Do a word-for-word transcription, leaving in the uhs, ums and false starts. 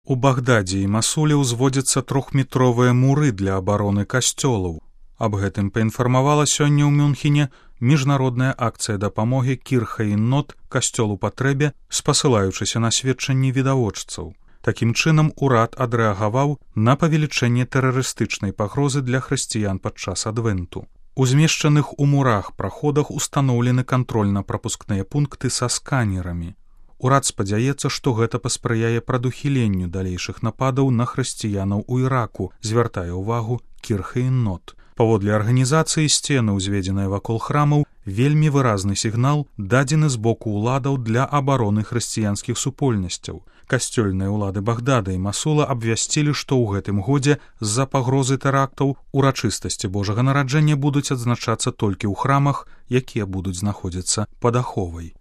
У Багдадзе і Масуле ўзводзяцца трохметровыя муры для абароны касцёлаў. Аб гэтым паінфармавала сёння ў Мюнхене міжнародная акцыя дапамогі Кір-Хаін-Нот касцёлу патрэбе, спасылаючыся на сведчанні відавочцаў. Такім чынам, урад адрэагаваў на павелічэнне тэрарыстычнай пагрозы для хрысціян падчас адвенту. У змешчаных у мурах праходах устаноўлены кантрольна-прапускныя пункты са сканерамі. Урад спадзяецца, што гэта паспрыяе прадухіленню далейшых нападаў на хрысціянаў у Іраку, звяртае ўвагу Кір-Хаін-Нот. Паводле арганізацыі, сцены, узведзеныя вакол храмаў, вельмі выразны сігнал, дадзены з боку ўладаў для абароны хрысціянскіх супольнасцяў. Касцёльныя ўлады Багдада і Масула абвясцілі, што ў гэтым годзе з-за пагрозы тэрактаў урачыстасці Божага нараджэння будуць адзначацца толькі ў храмах, якія будуць знаходзіцца пад аховай.